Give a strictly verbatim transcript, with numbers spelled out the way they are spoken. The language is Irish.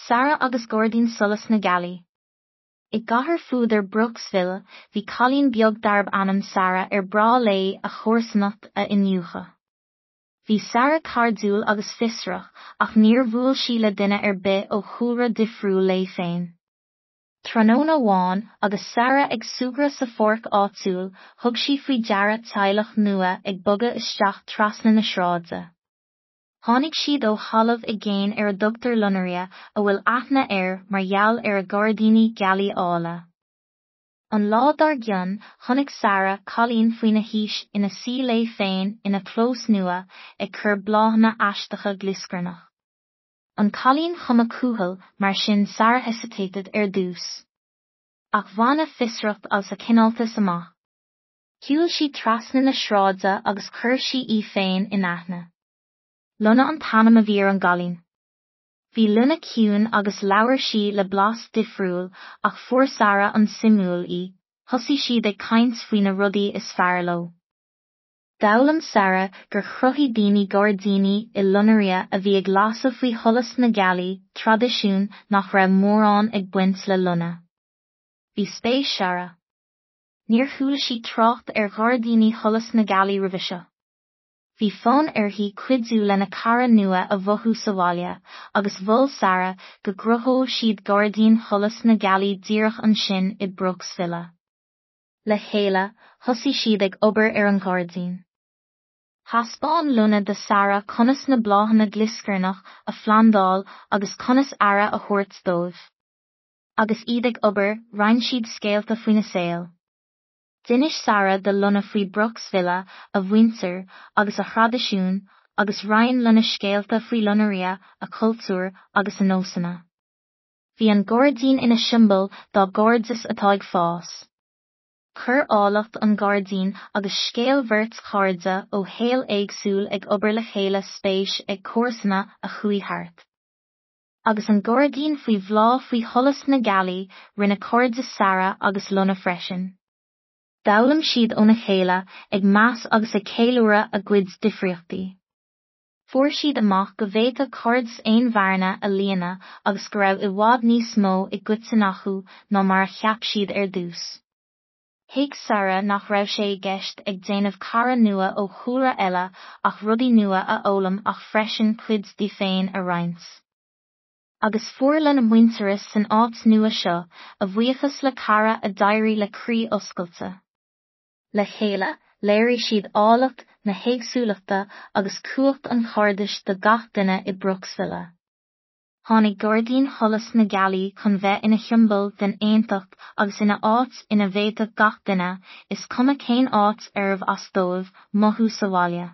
Sarah agus Gairdín Solas na Gealaí. I gcathair fuadar Brooksville, bhí cailín beag darb ainm Sarah ar breá léi a chomharsanacht a iniúchadh. Bhí Sarah cairdiúil agus fiosrach ach níor bhuail sí le duine ar bith ó chúlra difriúil léi féin. Tráthnóna amháin agus Sarah ag súgradh sa pháirc áitiúil, thug sí faoi deara teaghlach nua ag bogadh isteach trasna na sráide. Tháinig siad ó thalamh i gcéin ar a dtugtar Lunaria a bhfuil aithne air mar gheall ar a gairdíní gealaí áille. An lá dár gcionn, chonaic Sarah cailín faoina haois ina suí léi féin ina clós nua ag cur bláthanna aisteacha glioscarnach. An cailín chuma cúthail mar sin Sarah hesitated ar dtús. Ach bhain a fiosracht agus a cineáltas amach. Shiúil sí trasna na sráide agus chuir sí í féin in aithne. Luna an t-ainm a bhí ar an gcailín. Bhí Luna ciúin agus labhair sí le blas difriúil ach fuair Sarah an suimiúil í, thosaigh siad ag caint faoi na rudaí is fearr leo. D'fhoghlaim Sarah gur chruthaigh daoine gairdíní i Lunaria a bhí ag lasadh faoi sholas na gealaí, traidisiún nach raibh mórán ag baint le Luna. Bhí spéis Sarah. Níor chuala sí trácht ar ghairdíní sholas na gealaí roimhe seo. Bhí fonn uirthi cuidiú lena cara nua a mhothú sa bhaile, agus mhol Sarah go gcruthódh siad gairdín sholas na gealaí díreach ansin i Brooksville. Le chéile, thosaigh siad ag obair ar an ghairdín. Thaispeáin Luna do Sarah conas na bláthanna glioscarnach a phlandáil agus conas aire a thabhairt dóibh. Agus iad ag obair, roinn siad scéalta faoina saol. D'inis Sarah do Luna faoi Brooksville, a mhuintir, agus a thraidisiún, agus roinn Luna scéalta faoi Lunaria, a cultúr agus a nósanna. Bhí an gairdín ina siombail dá gcairdeas atá ag fás. Chuir áilleacht an ghairdín agus scéal bheirt chairde ó shaol éagsúil ag obair le chéile spéis ag comharsana a chuaigh thart. Agus an gairdín faoi bhláth faoi sholas na gealaí, rinne cairde Sarah agus Luna freisin. D'fhoghlaim siad óna chéile ag meas agus ag ceiliúradh a gcuid difríochtaí. Fuair siad amach go bhféadfadh cairdeas aon bhearna a líonadh agus go raibh i bhfad níos mó i gcoiteann acu ná mar a cheap siad ar dtús. Thuig Sarah nach raibh sé i gceist ag déanamh cara nua ó chúlra eile ach rudaí nua a fhoghlaim ach freisin cuid di féin a roinnt. Agus fuair Luna muintearas san áit nua seo, a bhuíochas le cara a d'éirigh le croí oscailte. Le chéile, léirigh siad áilleacht na héagsúlachta agus cumhacht an chairdis do gach duine i Brooksville. Tháinig gairdín sholas na gealaí chun bheith ina shiombail den aontacht agus ina áit ina bhféadfadh gach duine, is cuma cén áit arbh as dóibh, mothú sa bhaile.